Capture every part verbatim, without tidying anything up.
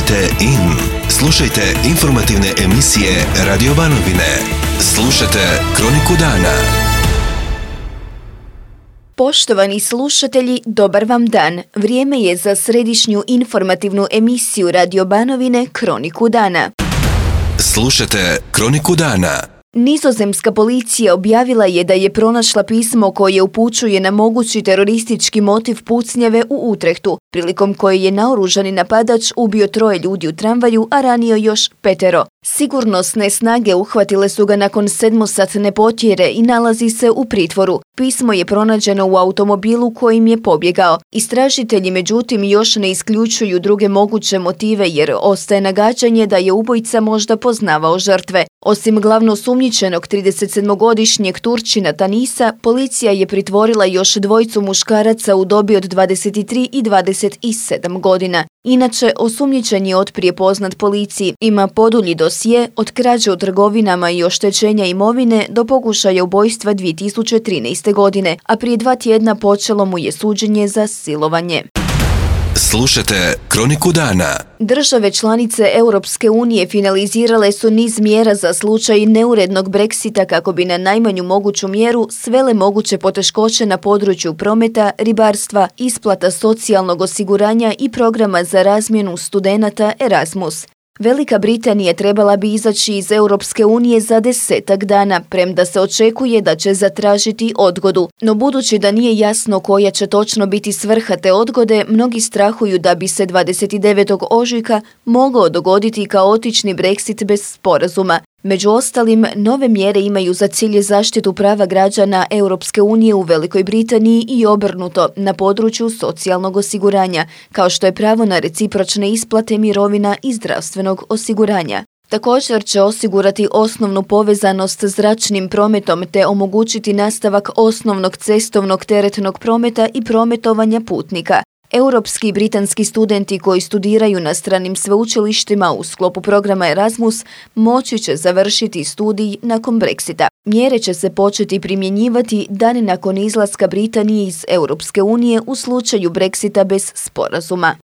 Budite in. Slušajte informativne emisije Radio Banovine. Slušajte Kroniku dana. Poštovani slušatelji, dobar vam dan. Vrijeme je za središnju informativnu emisiju Radio Banovine Kroniku dana. Slušajte Kroniku dana. Nizozemska policija objavila je da je pronašla pismo koje upućuje na mogući teroristički motiv pucnjave u Utrehtu, prilikom koje je naoružani napadač ubio troje ljudi u tramvaju, a ranio još petero. Sigurnosne snage uhvatile su ga nakon sedmosatne potjere i nalazi se u pritvoru. Pismo je pronađeno u automobilu kojim je pobjegao. Istražitelji međutim još ne isključuju druge moguće motive jer ostaje nagađanje da je ubojica možda poznavao žrtve. Osim glavno osumnjičenog tridesetsedmogodišnjeg Turčina Tanisa, policija je pritvorila još dvojicu muškaraca u dobi od dvadeset tri i dvadeset sedam godina. Inače, osumnjičen je otprije poznat policiji, ima podulji dosje od krađe u trgovinama i oštećenja imovine do pokušaja ubojstva dvije tisuće trinaeste. godine, a prije dva tjedna počelo mu je suđenje za silovanje. Slušajte Kroniku dana. Države članice Europske unije finalizirale su niz mjera za slučaj neurednog Brexita kako bi na najmanju moguću mjeru svele moguće poteškoće na području prometa, ribarstva, isplata socijalnog osiguranja i programa za razmjenu studenata Erasmus. Velika Britanija trebala bi izaći iz Europske unije za desetak dana, premda se očekuje da će zatražiti odgodu. No budući da nije jasno koja će točno biti svrha te odgode, mnogi strahuju da bi se dvadeset devetog ožujka mogao dogoditi kaotični Brexit bez sporazuma. Među ostalim, nove mjere imaju za cilj zaštitu prava građana Europske unije u Velikoj Britaniji i obrnuto na području socijalnog osiguranja, kao što je pravo na recipročne isplate mirovina i zdravstvenog osiguranja. Također će osigurati osnovnu povezanost s zračnim prometom te omogućiti nastavak osnovnog cestovnog teretnog prometa i prometovanja putnika. Europski i britanski studenti koji studiraju na stranim sveučilištima u sklopu programa Erasmus moći će završiti studij nakon Brexita. Mjere će se početi primjenjivati dan nakon izlaska Britanije iz Europske unije u slučaju Brexita bez sporazuma.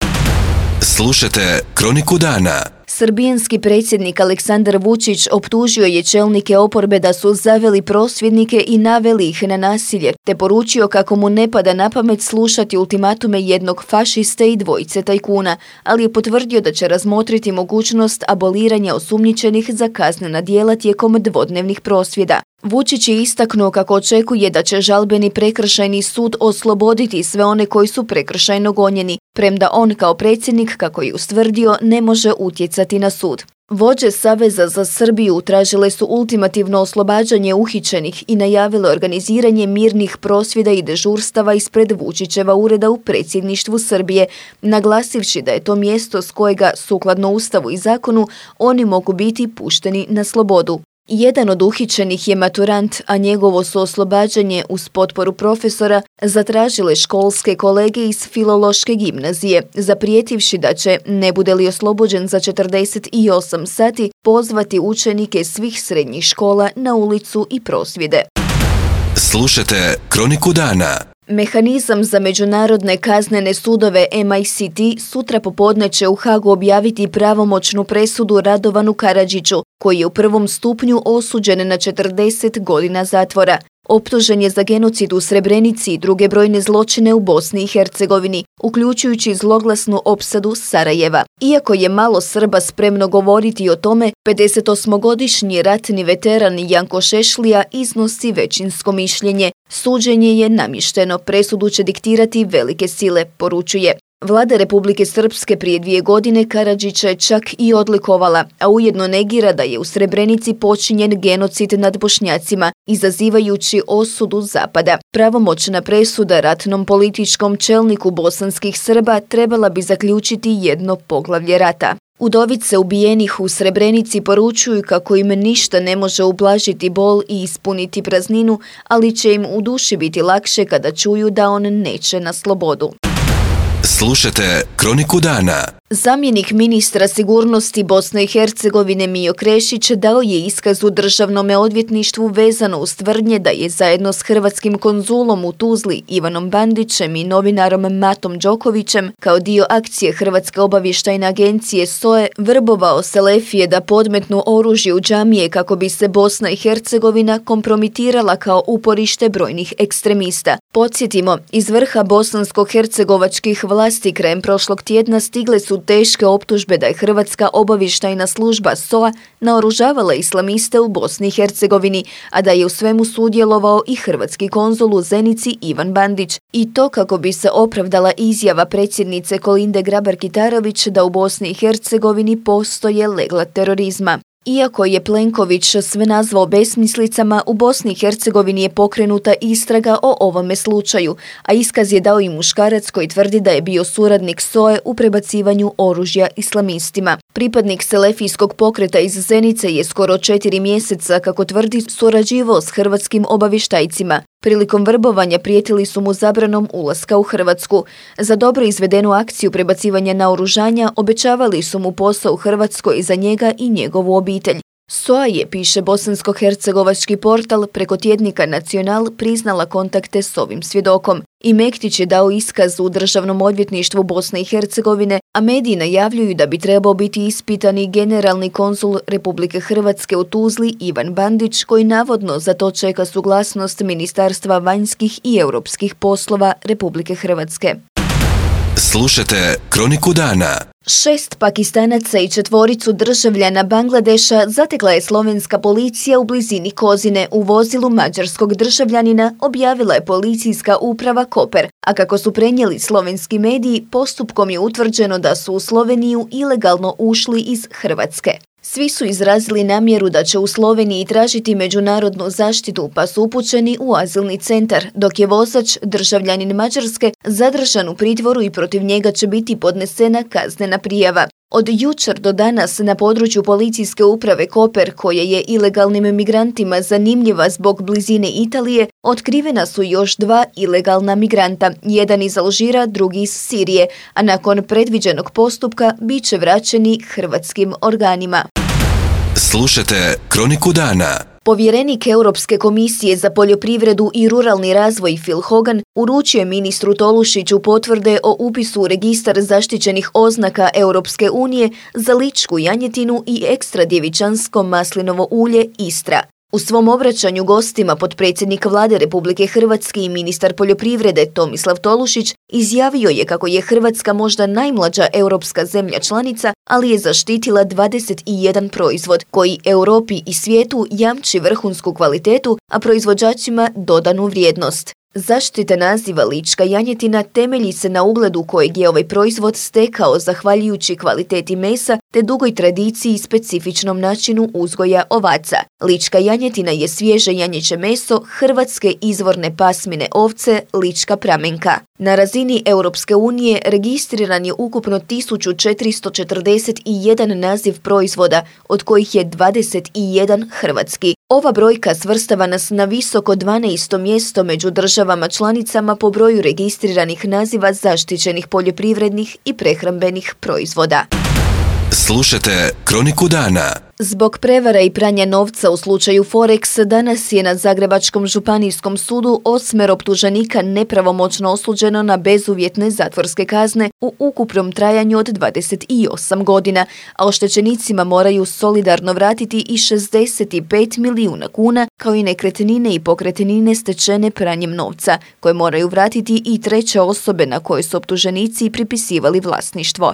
Slušajte Kroniku dana. Srbijanski predsjednik Aleksandar Vučić optužio je čelnike oporbe da su zaveli prosvjednike i naveli ih na nasilje, te poručio kako mu ne pada na pamet slušati ultimatume jednog fašiste i dvojice tajkuna, ali je potvrdio da će razmotriti mogućnost aboliranja osumnjičenih za kaznena djela tijekom dvodnevnih prosvjeda. Vučić je istaknuo kako očekuje da će žalbeni prekršajni sud osloboditi sve one koji su prekršajno gonjeni, premda on kao predsjednik, kako je ustvrdio, ne može utjecati na sud. Vođe Saveza za Srbiju tražile su ultimativno oslobađanje uhićenih i najavile organiziranje mirnih prosvjeda i dežurstava ispred Vučićeva ureda u predsjedništvu Srbije, naglasivši da je to mjesto s kojega, sukladno Ustavu i zakonu, oni mogu biti pušteni na slobodu. Jedan od uhićenih je maturant, a njegovo su oslobađanje uz potporu profesora zatražile školske kolege iz Filološke gimnazije, zaprijetivši da će, ne bude li oslobođen za četrdeset osam sati, pozvati učenike svih srednjih škola na ulicu i prosvjede. Slušajte Kroniku dana. Mehanizam za međunarodne kaznene sudove M I C T sutra popodne će u Hagu objaviti pravomoćnu presudu Radovanu Karadžiću, koji je u prvom stupnju osuđen na četrdeset godina zatvora. Optužen je za genocid u Srebrenici i druge brojne zločine u Bosni i Hercegovini, uključujući zloglasnu opsadu Sarajeva. Iako je malo Srba spremno govoriti o tome, pedesetosmogodišnji ratni veteran Janko Šešlija iznosi većinsko mišljenje. Suđenje je namješteno, presudu će diktirati velike sile, poručuje. Vlada Republike Srpske prije dvije godine Karadžića je čak i odlikovala, a ujedno negira da je u Srebrenici počinjen genocid nad Bošnjacima, izazivajući osudu Zapada. Pravomoćna presuda ratnom političkom čelniku bosanskih Srba trebala bi zaključiti jedno poglavlje rata. Udovice ubijenih u Srebrenici poručuju kako im ništa ne može ublažiti bol i ispuniti prazninu, ali će im u duši biti lakše kada čuju da on neće na slobodu. Slušajte Kroniku dana. Zamjenik ministra sigurnosti Bosne i Hercegovine Mijo Krešić dao je iskaz u državnome odvjetništvu vezano uz tvrdnje da je zajedno s hrvatskim konzulom u Tuzli Ivanom Bandićem i novinarom Matom Đokovićem kao dio akcije Hrvatske obavještajne agencije S O E vrbovao selefije da podmetnu oružje u džamije kako bi se Bosna i Hercegovina kompromitirala kao uporište brojnih ekstremista. Podsjetimo, iz vrha bosansko-hercegovačkih vlasti krajem prošlog tjedna stigle su teške optužbe da je Hrvatska obavještajna služba S O A naoružavala islamiste u Bosni i Hercegovini, a da je u svemu sudjelovao i hrvatski konzul u Zenici Ivan Bandić. I to kako bi se opravdala izjava predsjednice Kolinde Grabar-Kitarović da u Bosni i Hercegovini postoje legla terorizma. Iako je Plenković sve nazvao besmislicama, u Bosni i Hercegovini je pokrenuta istraga o ovome slučaju, a iskaz je dao i muškarac koji tvrdi da je bio suradnik S O E u prebacivanju oružja islamistima. Pripadnik selefijskog pokreta iz Zenice je skoro četiri mjeseca, kako tvrdi, surađivao s hrvatskim obavještajcima. Prilikom vrbovanja prijetili su mu zabranom ulaska u Hrvatsku. Za dobro izvedenu akciju prebacivanja naoružanja obećavali su mu posao u Hrvatskoj za njega i njegovu obitelj. S O A je, piše bosansko-hercegovački portal, preko tjednika Nacional priznala kontakte s ovim svjedokom. I Mektić je dao iskaz u Državnom odvjetništvu Bosne i Hercegovine, a mediji najavljuju da bi trebao biti ispitani generalni konzul Republike Hrvatske u Tuzli Ivan Bandić, koji navodno za to čeka suglasnost Ministarstva vanjskih i europskih poslova Republike Hrvatske. Slušajte Kroniku dana. Šest Pakistanaca i četvoricu državljana Bangladeša zatekla je slovenska policija u blizini Kozine u vozilu mađarskog državljanina, objavila je policijska uprava Koper, a kako su prenijeli slovenski mediji, postupkom je utvrđeno da su u Sloveniju ilegalno ušli iz Hrvatske. Svi su izrazili namjeru da će u Sloveniji tražiti međunarodnu zaštitu, pa su upućeni u azilni centar, dok je vozač, državljanin Mađarske, zadržan u pritvoru i protiv njega će biti podnesena kaznena prijava. Od jučer do danas na području policijske uprave Koper, koja je ilegalnim migrantima zanimljiva zbog blizine Italije, otkrivena su još dva ilegalna migranta, jedan iz Alžira, drugi iz Sirije, a nakon predviđenog postupka bit će vraćeni hrvatskim organima. Slušajte Kroniku dana. Povjerenik Europske komisije za poljoprivredu i ruralni razvoj Phil Hogan uručio je ministru Tolušiću potvrde o upisu u registar zaštićenih oznaka Europske unije za ličku janjetinu i ekstra djevičansko maslinovo ulje Istra. U svom obraćanju gostima potpredsjednik Vlade Republike Hrvatske i ministar poljoprivrede Tomislav Tolušić izjavio je kako je Hrvatska možda najmlađa europska zemlja članica, ali je zaštitila dvadeset jedan proizvod koji Europi i svijetu jamči vrhunsku kvalitetu, a proizvođačima dodanu vrijednost. Zaštita naziva lička janjetina temelji se na ugledu kojeg je ovaj proizvod stekao zahvaljujući kvaliteti mesa te dugoj tradiciji i specifičnom načinu uzgoja ovaca. Lička janjetina je svježe janjeće meso hrvatske izvorne pasmine ovce lička pramenka. Na razini Europske unije registriran je ukupno tisuću četiristo četrdeset jedan naziv proizvoda, od kojih je dvadeset jedan hrvatski. Ova brojka svrstava nas na visoko dvanaesto mjesto među državama članicama po broju registriranih naziva zaštićenih poljoprivrednih i prehrambenih proizvoda. Slušajte Kroniku dana. Zbog prevara i pranja novca u slučaju Forex, danas je na Zagrebačkom županijskom sudu osmero optuženika nepravomoćno osuđeno na bezuvjetne zatvorske kazne u ukupnom trajanju od dvadeset osam godina, a oštećenicima moraju solidarno vratiti i šezdeset pet milijuna kuna, kao i nekretnine i pokretnine stečene pranjem novca, koje moraju vratiti i treće osobe na koje su optuženici pripisivali vlasništvo.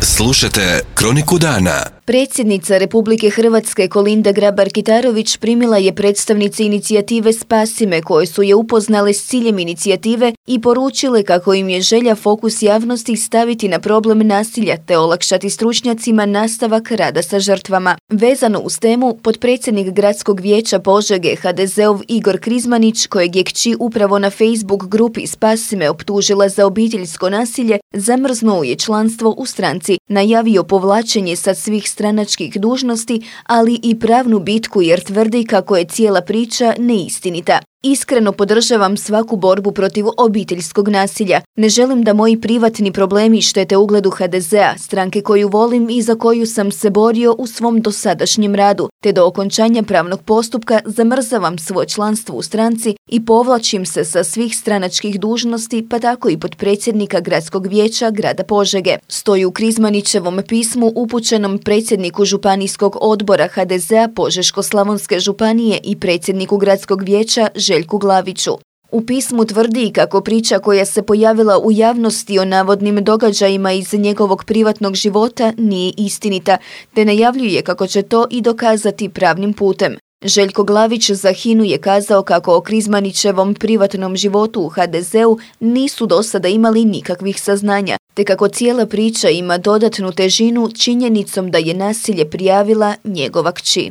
Slušajte Kroniku dana. Predsjednica Republike Hrvatske Kolinda Grabar-Kitarović primila je predstavnice inicijative Spasi me, koje su je upoznale s ciljem inicijative i poručile kako im je želja fokus javnosti staviti na problem nasilja te olakšati stručnjacima nastavak rada sa žrtvama. Vezano uz temu, potpredsjednik Gradskog vijeća Požege ha de zeov Igor Krizmanić, kojeg je kći upravo na Facebook grupi Spasi me optužila za obiteljsko nasilje, zamrznuo je članstvo u stranci, najavio povlačenje sa svih stranačkih dužnosti, ali i pravnu bitku jer tvrdi kako je cijela priča neistinita. Iskreno podržavam svaku borbu protiv obiteljskog nasilja. Ne želim da moji privatni problemi štete ugledu ha de zea, stranke koju volim i za koju sam se borio u svom dosadašnjem radu, te do okončanja pravnog postupka zamrzavam svoje članstvo u stranci i povlačim se sa svih stranačkih dužnosti, pa tako i potpredsjednika Gradskog vijeća grada Požege. Stoji u Krizmanićevom pismu upućenom predsjedniku Županijskog odbora ha de zea Požeško-slavonske županije i predsjedniku Gradskog vijeća Željku Glaviću. U pismu tvrdi kako priča koja se pojavila u javnosti o navodnim događajima iz njegovog privatnog života nije istinita, te najavljuje kako će to i dokazati pravnim putem. Željko Glavić za Hinu je kazao kako o Krizmanićevom privatnom životu u ha de zeu nisu do sada imali nikakvih saznanja, te kako cijela priča ima dodatnu težinu činjenicom da je nasilje prijavila njegova kći.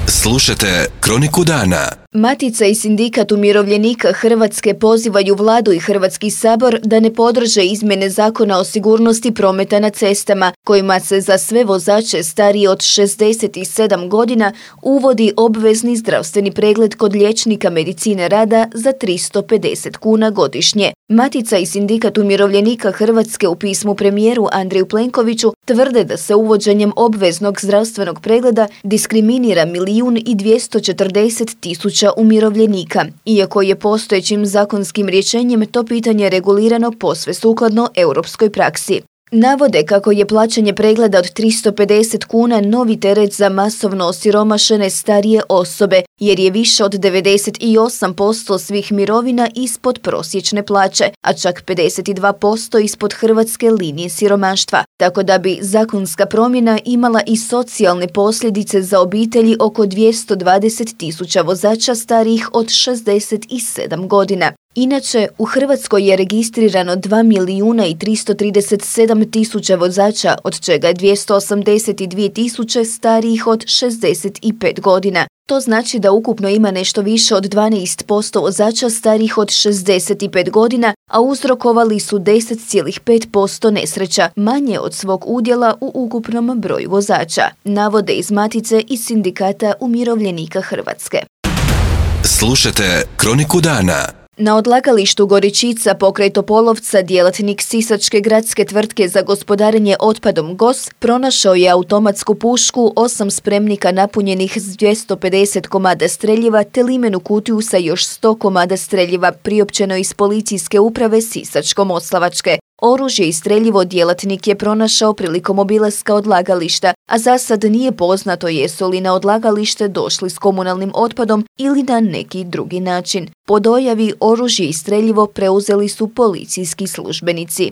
Slušajte Kroniku dana. Matica i Sindikat umirovljenika Hrvatske pozivaju Vladu i Hrvatski sabor da ne podrže izmjene Zakona o sigurnosti prometa na cestama, kojima se za sve vozače starije od šezdeset sedam godina uvodi obvezni zdravstveni pregled kod liječnika medicine rada za tristo pedeset kuna godišnje. Matica i Sindikat umirovljenika Hrvatske u pismu premijeru Andreju Plenkoviću tvrde da se uvođenjem obveznog zdravstvenog pregleda diskriminira milijun i dvjesto četrdeset tisuća umirovljenika, iako je postojećim zakonskim rješenjem to pitanje regulirano posve sukladno europskoj praksi. Navode kako je plaćanje pregleda od tristo pedeset kuna novi teret za masovno osiromašene starije osobe, jer je više od devedeset osam posto svih mirovina ispod prosječne plaće, a čak pedeset dva posto ispod hrvatske linije siromaštva. Tako da bi zakonska promjena imala i socijalne posljedice za obitelji oko dvjesto dvadeset tisuća vozača starijih od šezdeset sedam godina. Inače, u Hrvatskoj je registrirano dva milijuna i tristo trideset sedam tisuća vozača, od čega je dvjesto osamdeset dvije tisuće starijih od šezdeset pet godina. To znači da ukupno ima nešto više od dvanaest posto vozača starijih od šezdeset pet godina, a uzrokovali su deset zarez pet posto nesreća, manje od svog udjela u ukupnom broju vozača, navode iz Matice i Sindikata umirovljenika Hrvatske. Slušajte Kroniku dana. Na odlagalištu Goričica pokraj Topolovca djelatnik sisačke gradske tvrtke za gospodarenje otpadom G O S pronašao je automatsku pušku, osam spremnika napunjenih s dvjesto pedeset komada streljiva te limenu kutiju sa još sto komada streljiva, priopćeno iz policijske uprave Sisačko-moslavačke. Oružje i streljivo djelatnik je pronašao prilikom obilaska odlagališta, a za sad nije poznato jesu li na odlagalište došli s komunalnim otpadom ili na neki drugi način. Po dojavi oružje i streljivo preuzeli su policijski službenici.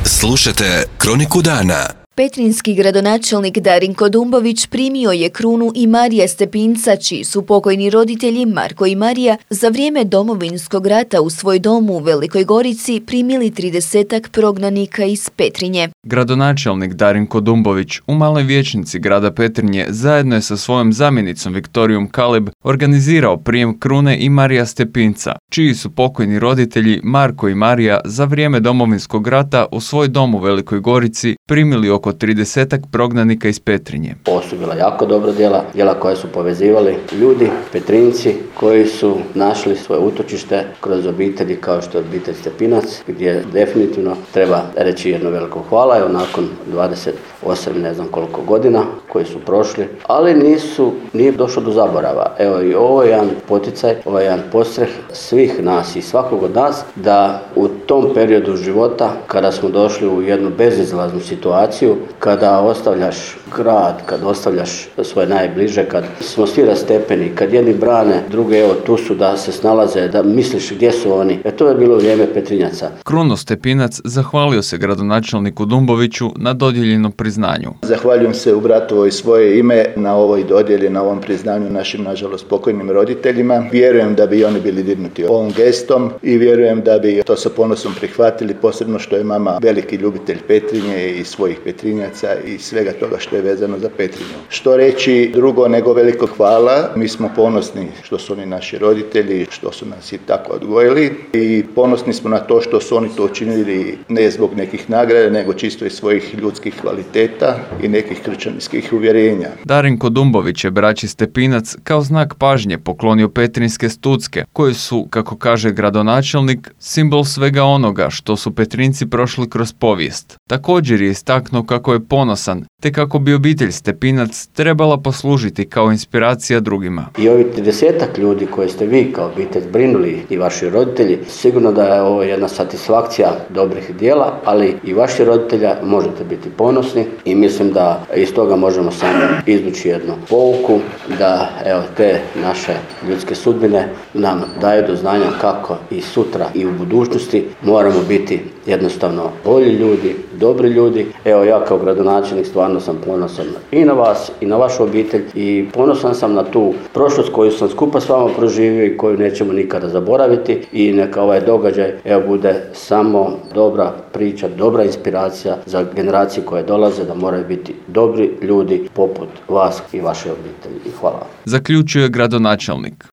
Slušajte Kroniku dana. Petrinjski gradonačelnik Darinko Dumbović primio je krunu i Marija Stepinca, čiji su pokojni roditelji Marko i Marija za vrijeme Domovinskog rata u svoj dom u Velikoj Gorici primili tridesetak prognanika iz Petrinje. Gradonačelnik Darinko Dumbović u Maloj vijećnici grada Petrinje zajedno je sa svojom zamjenicom Viktorijom Kaleb organizirao prijem krune i Marija Stepinca, čiji su pokojni roditelji Marko i Marija za vrijeme Domovinskog rata u svoj dom u Velikoj Gorici primili oko tridesetak prognanika iz Petrinje. Ovo su bila jako dobra djela, djela koja su povezivali ljudi, Petrinjci, koji su našli svoje utočište kroz obitelji kao što je obitelj Stepinac, gdje definitivno treba reći jedno veliko hvala. Evo nakon dvadeset osam ne znam koliko godina koji su prošli, ali nisu, nije došlo do zaborava. Evo i ovo je jedan poticaj, ovo je jedan podstreh svih nas i svakog od nas da u tom periodu života kada smo došli u jednu bezizlaznu situaciju, kada ostavljaš grad, kad ostavljaš svoje najbliže, kad smo svi rastepeni, kad jedni brane, druge evo tu su da se snalaze, da misliš gdje su oni. E to je bilo vrijeme Petrinjaca. Kruno Stepinac zahvalio se gradonačelniku Dumboviću na dodijeljenom priznanju. Zahvaljujem se u bratovo i svoje ime na ovoj dodjeli, na ovom priznanju našim, nažalost, pokojnim roditeljima. Vjerujem da bi oni bili dirnuti ovom gestom i vjerujem da bi to sa ponosom ponosom prihvatili, posebno što je mama veliki ljubitelj Petrinje i svojih Petrinjaca i svega toga što je vezano za Petrinju. Što reći drugo nego veliko hvala, mi smo ponosni što su oni naši roditelji, što su nas i tako odgojili i ponosni smo na to što su oni to učinili ne zbog nekih nagrada, nego čisto iz svojih ljudskih kvaliteta i nekih kršćanskih uvjerenja. Darinko Dumbović je braći Stepinac kao znak pažnje poklonio petrinjske stucke, koje su, kako kaže gradonačelnik, simbol svega onoga što su Petrinjci prošli kroz povijest. Također je istaknuo kako je ponosan, te kako bi obitelj Stepinac trebala poslužiti kao inspiracija drugima. I ovi tridesetak ljudi koje ste vi kao obitelj brinuli i vaši roditelji, sigurno da je ovo jedna satisfakcija dobrih djela, ali i vaši roditelja možete biti ponosni i mislim da iz toga možemo samo izvući jednu pouku, da evo te naše ljudske sudbine nam daju do znanja kako i sutra i u budućnosti moramo biti jednostavno bolji ljudi, dobri ljudi. Evo ja kao gradonačelnik stvarno sam ponosan i na vas i na vašu obitelj i ponosan sam na tu prošlost koju sam skupa s vama proživio i koju nećemo nikada zaboraviti i neka ovaj događaj evo bude samo dobra priča, dobra inspiracija za generacije koje dolaze da moraju biti dobri ljudi poput vas i vaše obitelji. I hvala. Zaključuje gradonačelnik.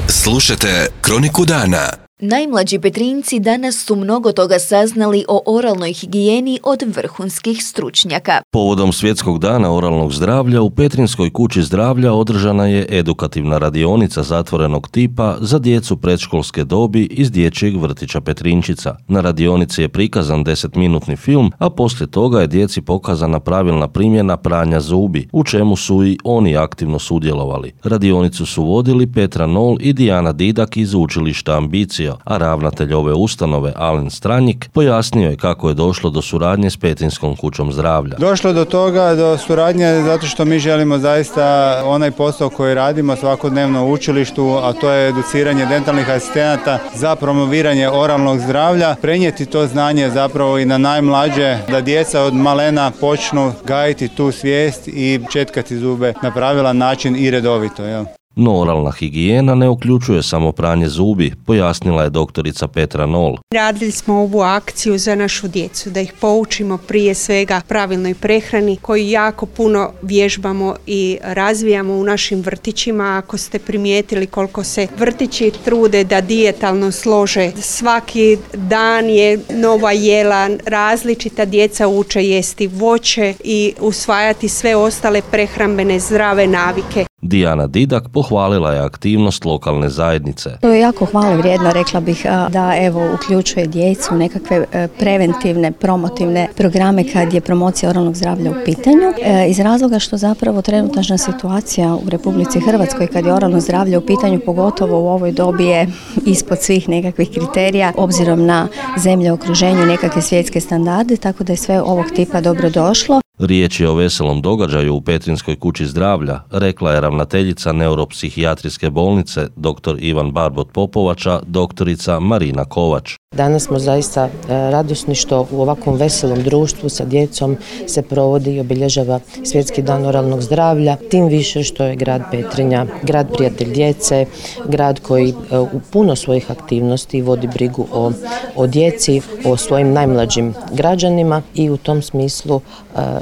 Slušajte Kroniku dana. Najmlađi Petrinjci danas su mnogo toga saznali o oralnoj higijeni od vrhunskih stručnjaka. Povodom Svjetskog dana oralnog zdravlja u Petrinjskoj kući zdravlja održana je edukativna radionica zatvorenog tipa za djecu predškolske dobi iz dječjeg vrtića Petrinjčica. Na radionici je prikazan desetminutni film, a poslije toga je djeci pokazana pravilna primjena pranja zubi, u čemu su i oni aktivno sudjelovali. Radionicu su vodili Petra Nol i Dijana Didak iz učilišta Ambicija, a ravnatelj ove ustanove, Alen Stranjik, pojasnio je kako je došlo do suradnje s Petrinjskom kućom zdravlja. Došlo do toga, do suradnje, zato što mi želimo zaista onaj posao koji radimo svakodnevno u učilištu, a to je educiranje dentalnih asistenata za promoviranje oralnog zdravlja, prenijeti to znanje zapravo i na najmlađe, da djeca od malena počnu gajiti tu svijest i četkati zube na pravilan način i redovito. Jel? No oralna higijena ne uključuje samo pranje zubi, pojasnila je doktorica Petra Nol. Radili smo ovu akciju za našu djecu, da ih poučimo prije svega pravilnoj prehrani koju jako puno vježbamo i razvijamo u našim vrtićima. Ako ste primijetili koliko se vrtići trude da dijetalno slože, svaki dan je nova jela, različita djeca uče jesti voće i usvajati sve ostale prehrambene zdrave navike. Dijana Didak pohvalila je aktivnost lokalne zajednice. To je jako hvale vrijedno, rekla bih, da evo uključuje djecu u nekakve preventivne, promotivne programe kad je promocija oralnog zdravlja u pitanju. Iz razloga što zapravo trenutačna situacija u Republici Hrvatskoj kad je oralno zdravlje u pitanju, pogotovo u ovoj dobi, je ispod svih nekakvih kriterija obzirom na zemlje u okruženju, nekakve svjetske standarde, tako da je sve ovog tipa dobro došlo. Riječ je o veselom događaju u Petrinjskoj kući zdravlja, rekla je ravnateljica neuropsihijatrijske bolnice dr. Ivan Barbot Popovača, doktorica Marina Kovač. Danas smo zaista radosni što u ovakvom veselom društvu sa djecom se provodi i obilježava Svjetski dan oralnog zdravlja, tim više što je grad Petrinja grad prijatelj djece, grad koji u puno svojih aktivnosti vodi brigu o, o djeci, o svojim najmlađim građanima i u tom smislu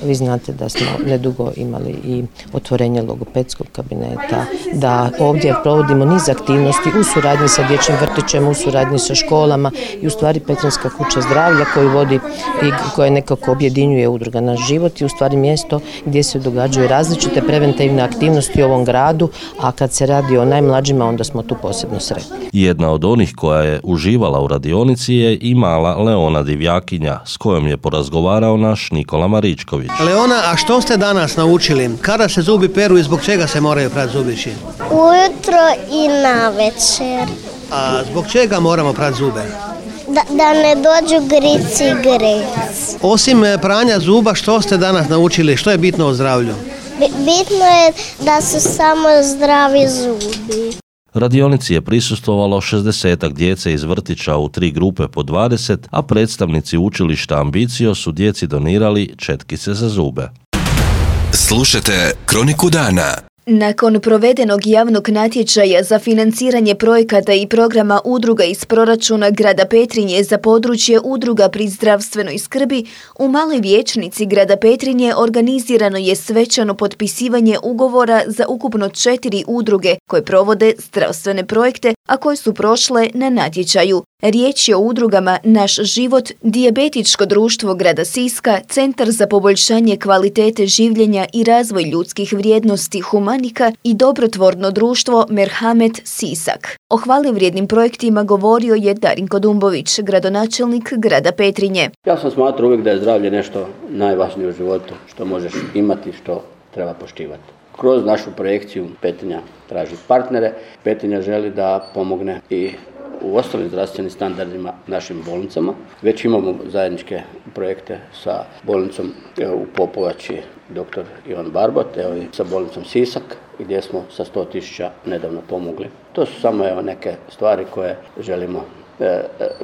vi znate da smo nedugo imali i otvorenje logopedskog kabineta, da ovdje provodimo niz aktivnosti u suradnji sa dječjim vrtićem, u suradnji sa školama i u stvari Petrinjska kuća zdravlja koju vodi i koja nekako objedinjuje udruga Naš život i u stvari mjesto gdje se događaju različite preventivne aktivnosti u ovom gradu, a kad se radi o najmlađima onda smo tu posebno sretni. Jedna od onih koja je uživala u radionici je i mala Leona Divjakinja s kojom je porazgovarao naš Nikola Maričković. Leona, a što ste danas naučili? Kada se zubi peru i zbog čega se moraju prati zubići? Ujutro i navečer. A zbog čega moramo prati zube? Da, da ne dođu grici i grec. Osim pranja zuba, što ste danas naučili? Što je bitno o zdravlju? Bitno je da su samo zdravi zubi. Radionici je prisustvovalo šezdesetak djece iz vrtića u tri grupe po dvadeset, a predstavnici učilišta Ambicio su djeci donirali četkice za zube. Slušajte Kroniku dana. Nakon provedenog javnog natječaja za financiranje projekata i programa udruga iz proračuna grada Petrinje za područje udruga pri zdravstvenoj skrbi, u Maloj vijećnici grada Petrinje organizirano je svečano potpisivanje ugovora za ukupno četiri udruge koje provode zdravstvene projekte, a koje su prošle na natječaju. Riječ je o udrugama Naš život, Dijabetičko društvo grada Siska, Centar za poboljšanje kvalitete življenja i razvoj ljudskih vrijednosti Humanika i dobrotvorno društvo Merhamet Sisak. O hvalevrijednim projektima govorio je Darinko Dumbović, gradonačelnik grada Petrinje. Ja sam smatrao uvijek da je zdravlje nešto najvažnije u životu, što možeš imati, što treba poštivati. Kroz našu projekciju Petrinja traži partnere. Petrinja želi da pomogne i u ostalim zdravstvenim standardima našim bolnicama. Već imamo zajedničke projekte sa bolnicom u Popovači doktor Ivan Barbot, evo i sa bolnicom Sisak, gdje smo sa sto tisuća nedavno pomogli. To su samo evo neke stvari koje želimo e,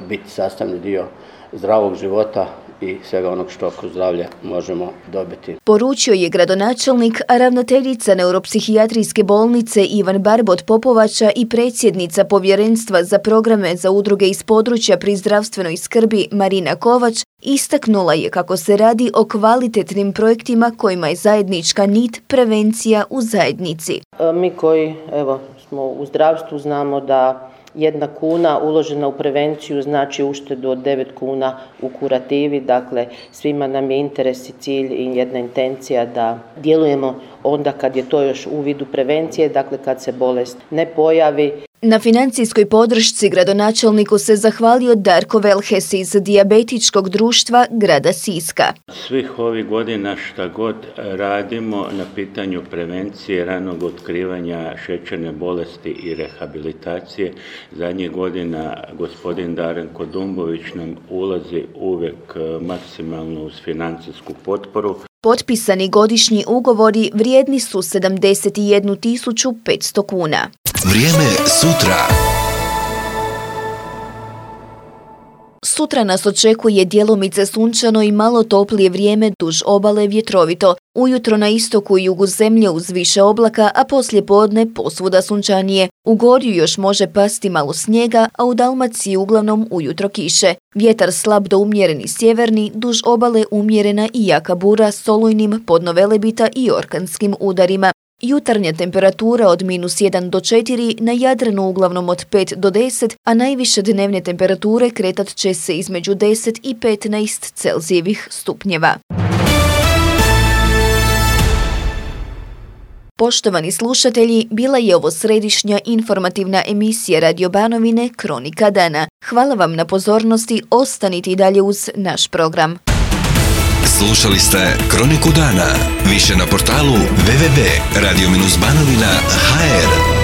biti sastavni dio zdravog života i svega onog što kroz zdravlje možemo dobiti. Poručio je gradonačelnik, a ravnateljica neuropsihijatrijske bolnice Ivan Barbot Popovača i predsjednica povjerenstva za programe za udruge iz područja pri zdravstvenoj skrbi Marina Kovač istaknula je kako se radi o kvalitetnim projektima kojima je zajednička nit prevencija u zajednici. Mi koji evo, smo u zdravstvu znamo da jedna kuna uložena u prevenciju znači uštedu od devet kuna u kurativi, dakle svima nam je interes i cilj i jedna intencija da djelujemo onda kad je to još u vidu prevencije, dakle kad se bolest ne pojavi. Na financijskoj podršci gradonačelniku se zahvalio Darko Velhes iz Dijabetičkog društva grada Siska. Svih ovih godina šta god radimo na pitanju prevencije, ranog otkrivanja šećerne bolesti i rehabilitacije, zadnjih godina gospodin Darinko Dumbović nam ulazi uvijek maksimalno uz financijsku potporu. Potpisani godišnji ugovori vrijedni su sedamdeset jednu tisuću petsto kuna. Vrijeme sutra. Sutra nas očekuje djelomice sunčano i malo toplije vrijeme duž obale vjetrovito. Ujutro na istoku i jugu zemlje uz više oblaka, a poslije podne posvuda sunčanije. U Gorju još može pasti malo snijega, a u Dalmaciji uglavnom ujutro kiše. Vjetar slab do umjereni sjeverni, duž obale umjerena i jaka bura s olujnim podno Velebita i orkanskim udarima. Jutarnja temperatura od minus jedan do četiri, na Jadranu uglavnom od pet do deset, a najviše dnevne temperature kretat će se između deset i petnaest Celzijevih stupnjeva. Poštovani slušatelji, bila je ovo središnja informativna emisija Radio Banovine Kronika dana. Hvala vam na pozornosti, ostanite i dalje uz naš program. Slušali ste Kroniku dana. Više na portalu w w w tačka radio banovina tačka h r.